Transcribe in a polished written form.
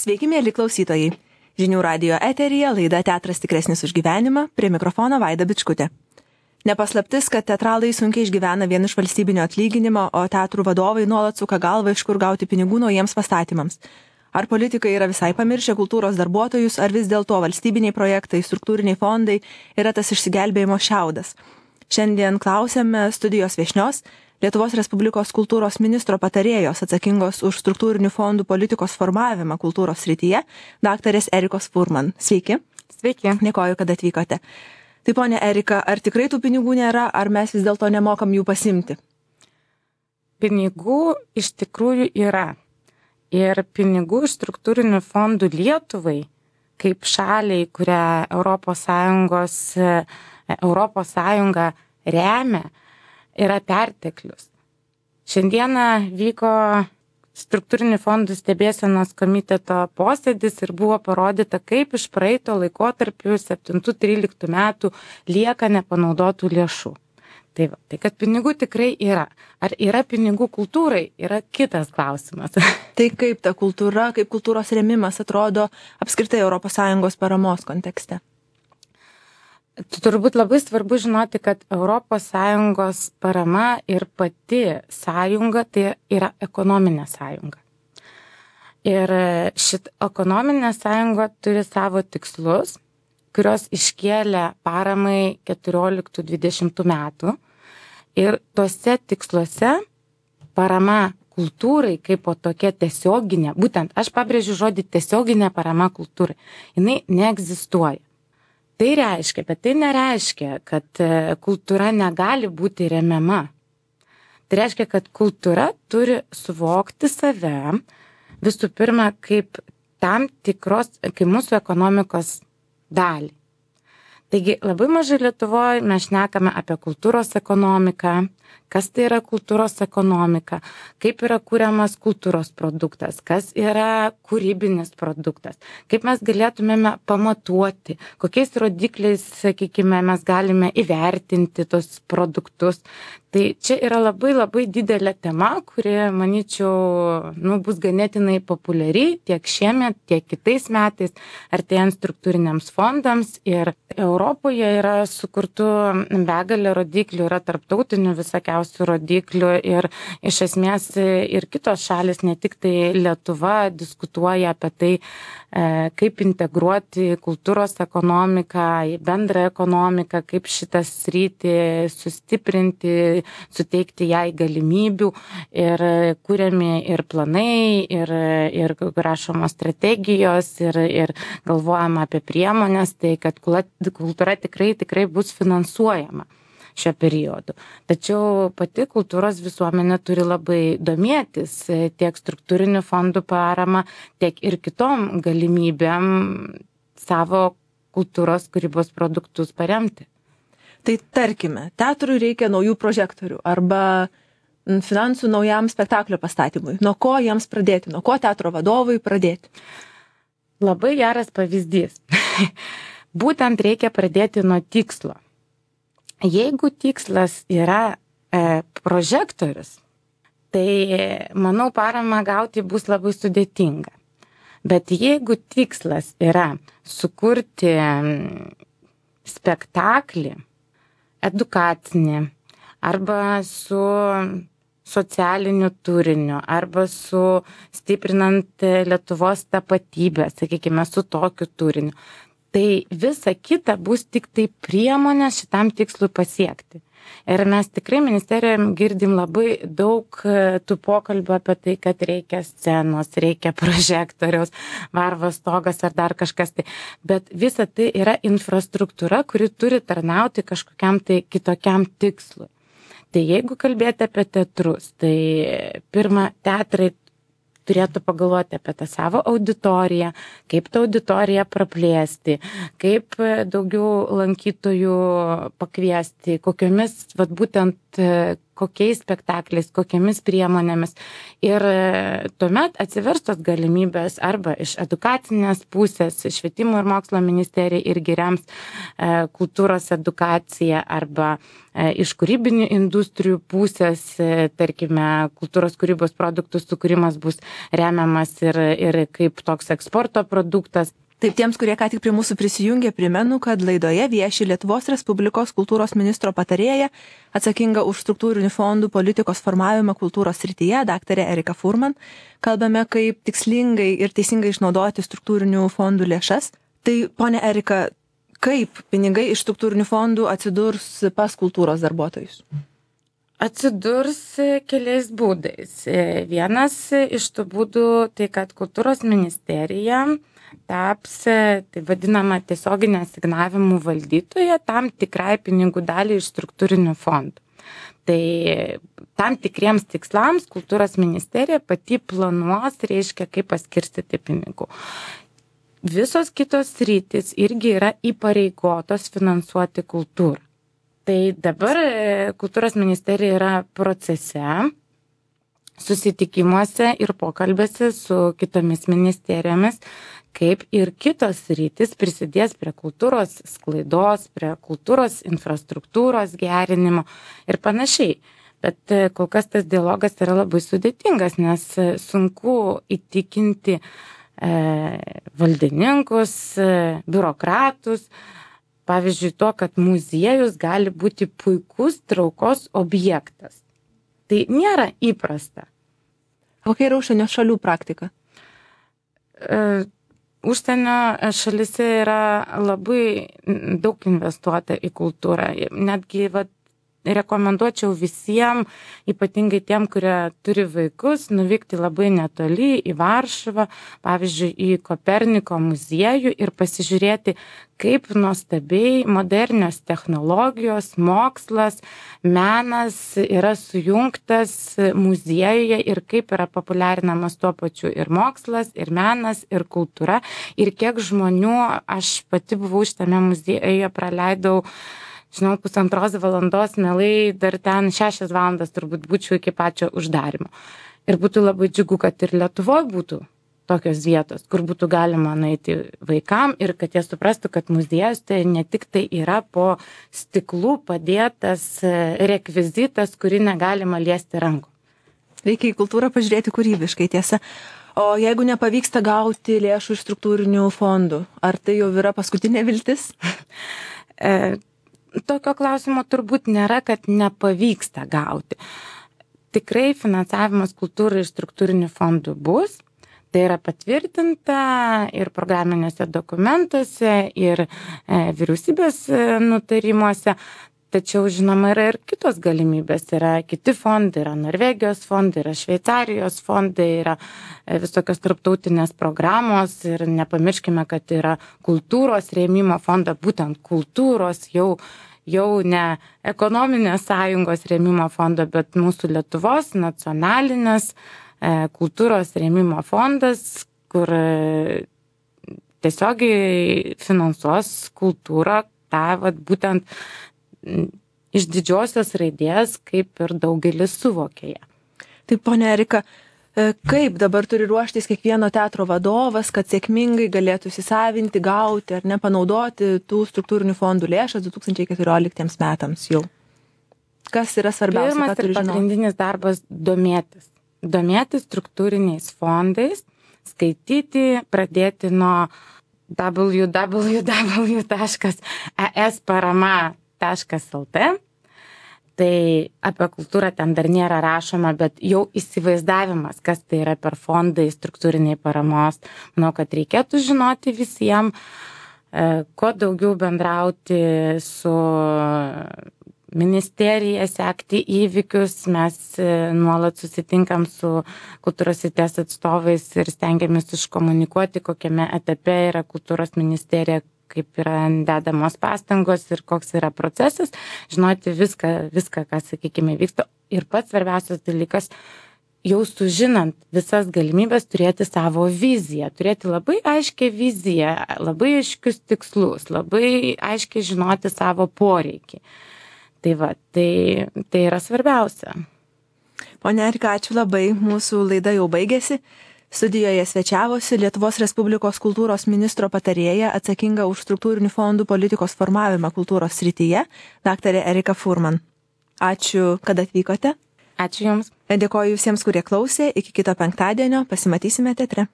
Sveiki, mėly klausytojai. Žinių radijo eteryje laida Teatras tikresnis už gyvenimą, prie mikrofono Vaida Bičkutė. Nepaslaptis, kad teatralai sunkiai išgyvena vien iš valstybinio atlyginimo, o teatrų vadovai nuolat suka galvą, iš kur gauti pinigų naujiems pastatymams. Ar politikai yra visai pamiršę kultūros darbuotojus, ar vis dėlto valstybiniai projektai, struktūriniai fondai yra tas išsigelbėjimo šiaudas. Šiandien klausėme studijos viešnios, Lietuvos Respublikos kultūros ministro patarėjos atsakingos už struktūrinių fondų politikos formavimą kultūros srityje, daktarės Erikos Furman. Sveiki. Sveiki. Dėkoju, kad atvykote. Tai ponia Erika, ar tikrai tų pinigų nėra, ar mes vis dėlto nemokam jų pasimti? Pinigų iš tikrųjų yra. Ir pinigų iš struktūrinių fondų Lietuvai, kaip šaliai, kurią Europos Sąjunga remia, yra perteklius. Šiandieną vyko struktūrinių fondų stebėsenos komiteto posėdis ir buvo parodyta, kaip iš praeito laikotarpių 7-13 metų lieka nepanaudotų lėšų. Tai kad pinigų tikrai yra. Ar yra pinigų kultūrai, yra kitas klausimas. Tai kaip ta kultūra, kaip kultūros rėmimas atrodo apskritai ES paramos kontekste? Turbūt labai svarbu žinoti, kad ES parama ir pati sąjunga tai yra ekonominė sąjunga. Ir šit ekonominė sąjunga turi savo tikslus, kurios iškėlė paramai 14-20 metų. Ir tuose tiksluose parama kultūrai kaip po tokia tiesioginė, būtent aš pabrėžiu žodį tiesioginė parama kultūrai, jinai neegzistuoja. Tai reiškia, bet tai nereiškia, kad kultūra negali būti remiama. Tai reiškia, kad kultūra turi suvokti save visų pirma kaip tam tikros, kaip mūsų ekonomikos dalį. Taigi labai mažai Lietuvoje mes šnekame apie kultūros ekonomiką, kas tai yra kultūros ekonomika, kaip yra kuriamas kultūros produktas, kas yra kūrybinis produktas, kaip mes galėtumėme pamatuoti, kokiais rodikliais, sakykime, mes galime įvertinti tos produktus. Tai čia yra labai labai didelė tema, kuri, manyčiau, bus ganėtinai populiari tiek šiemet, tiek kitais metais, artėjant struktūriniams fondams. Ir Europoje yra sukurtų begalė rodiklių, yra tarptautinių visokiausių rodiklių ir iš esmės ir kitos šalis, ne tik tai Lietuva, diskutuoja apie tai, kaip integruoti kultūros ekonomiką į bendrą ekonomiką, kaip šitą sritį sustiprinti, suteikti jai galimybių ir kuriami ir planai, ir rašomos strategijos, ir galvojama apie priemonės, tai kad kultūra tikrai bus finansuojama šio periodu. Tačiau pati kultūros visuomenė turi labai domėtis tiek struktūrinių fondų parama, tiek ir kitom galimybėm savo kultūros kūrybos produktus paremti. Tai tarkime, teatrui reikia naujų prožektorių arba finansų naujam spektaklio pastatymui. Nuo ko jiems pradėti? Nuo ko teatro vadovui pradėti? Labai geras pavyzdys. Būtent reikia pradėti nuo tikslo. Jeigu tikslas yra prožektorius, tai, manau, paramą gauti bus labai sudėtinga. Bet jeigu tikslas yra sukurti spektaklį, edukacinį, arba su socialiniu turiniu, arba su stiprinant Lietuvos tapatybę, sakykime, su tokiu turiniu, tai visa kita bus tik tai priemonė šitam tikslui pasiekti. Ir mes tikrai ministerijoje girdim labai daug tų pokalbių apie tai, kad reikia scenos, reikia prožektoriaus, varvos stogas ar dar kažkas tai. Bet visa tai yra infrastruktūra, kuri turi tarnauti kažkokiam tai kitokiam tikslui. Tai jeigu kalbėti apie teatrus, tai pirma, teatrai turėtų pagalvoti apie tą savo auditoriją, kaip tą auditoriją praplėsti, kaip daugiau lankytojų pakviesti, kokiomis, būtent kokiais spektakliais, kokiamis priemonėmis. Ir tuomet atsiverstos galimybės arba iš edukacinės pusės, švietimo ir mokslo ministerija irgi rems kultūros edukaciją, arba iš kūrybinių industrijų pusės, tarkime, kultūros kūrybos produktų sukūrimas bus remiamas ir kaip toks eksporto produktas. Taip, tiems, kurie ką tik prie mūsų prisijungė, primenu, kad laidoje vieši Lietuvos Respublikos kultūros ministro patarėja, atsakinga už struktūrinių fondų politikos formavimą kultūros srityje, daktarė Erika Furman. Kalbame, kaip tikslingai ir teisingai išnaudoti struktūrinių fondų lėšas. Tai, ponia Erika, kaip pinigai iš struktūrinių fondų atsidurs pas kultūros darbuotojus? Atsidurs keliais būdais. Vienas iš tų būdų tai, kad kultūros ministerija taps, tai vadinama, tiesioginė asignavimų valdytoja tam tikrai pinigų daliai iš struktūrinių fondų. Tai tam tikriems tikslams kultūros ministerija pati planuos, reiškia, kaip paskirstyti pinigų. Visos kitos sritys irgi yra įpareigotos finansuoti kultūrą. Tai dabar kultūros ministerija yra procese, susitikimuose ir pokalbėse su kitomis ministerijomis, kaip ir kitos sritys prisidės prie kultūros sklaidos, prie kultūros infrastruktūros gerinimo ir panašiai. Bet kol kas tas dialogas yra labai sudėtingas, nes sunku įtikinti valdininkus, biurokratus, pavyzdžiui, to, kad muziejus gali būti puikus traukos objektas. Tai nėra įprasta. Kokia yra užsienio šalių praktika? Užsienio šalyse yra labai daug investuota į kultūrą. Netgi rekomenduočiau visiems, ypatingai tiem, kurie turi vaikus, nuvykti labai netoli į Varšuvą, pavyzdžiui, į Koperniko muziejų ir pasižiūrėti, kaip nuostabiai modernios technologijos, mokslas, menas yra sujungtas muziejuje ir kaip yra populiarinamas tuo pačiu ir mokslas, ir menas, ir kultūra. Ir kiek žmonių, aš pati buvau šitame muziejuje, praleidau, 1,5 valandos, mielai dar ten 6 valandas turbūt būčiau iki pačio uždarimo. Ir būtų labai džiugu, kad ir Lietuvoje būtų tokios vietos, kur būtų galima nueiti vaikam ir kad jie suprastų, kad muziejus tai ne tik tai yra po stiklu padėtas rekvizitas, kurį negalima liesti rankų. Reikia į kultūrą pažiūrėti kūrybiškai, tiesa. O jeigu nepavyksta gauti lėšų iš struktūrinių fondų, ar tai jau yra paskutinė viltis? Tokio klausimo turbūt nėra, kad nepavyksta gauti. Tikrai finansavimas kultūrai iš struktūrinių fondų bus. Tai yra patvirtinta ir programinėse dokumentuose, ir vyriausybės nutarimuose. Tačiau, žinoma, yra ir kitos galimybės. Yra kiti fondai, yra Norvegijos fondai, yra Šveicarijos fondai, yra visokios tarptautinės programos. Ir nepamirškime, kad yra kultūros rėmimo fonda, būtent kultūros jau ne ekonominės sąjungos rėmimo fondo, bet mūsų Lietuvos nacionalinės kultūros rėmimo fondas, kur tiesiogiai finansuos kultūrą, tą būtent iš didžiosios raidės, kaip ir daugelis suvokė ją. Taip, ponia Erika, kaip dabar turi ruoštis kiekvieno teatro vadovas, kad sėkmingai galėtų įsisavinti, gauti ar nepanaudoti tų struktūrinių fondų lėšas 2014 metams jau? Kas yra svarbiausia? Pirmas ir pagrindinis darbas domėtis struktūriniais fondais, skaityti, pradėti nuo www.esparama.lt. Tai apie kultūrą ten dar nėra rašoma, bet jau įsivaizdavimas, kas tai yra per fondai struktūriniai paramos. Manau, kad reikėtų žinoti visiems, kuo daugiau bendrauti su ministerija, sekti įvykius. Mes nuolat susitinkam su kultūros srities atstovais ir stengiamės iškomunikuoti, kokiame etape yra kultūros ministerija, kaip yra dedamos pastangos ir koks yra procesas, žinoti viską, ką, sakykime, vyksta. Ir pats svarbiausias dalykas, jau sužinant visas galimybės, turėti savo viziją, turėti labai aiškią viziją, labai aiškius tikslus, labai aiškiai žinoti savo poreikį. Tai yra svarbiausia. Pone Erika, ačiū labai, mūsų laida jau baigėsi. Studijoje svečiavosi Lietuvos Respublikos kultūros ministro patarėja atsakinga už struktūrinių fondų politikos formavimą kultūros srityje, daktarė Erika Furman. Ačiū, kad atvykote. Ačiū Jums. Dėkoju visiems, kurie klausė. Iki kito penktadienio. Pasimatysime teatre.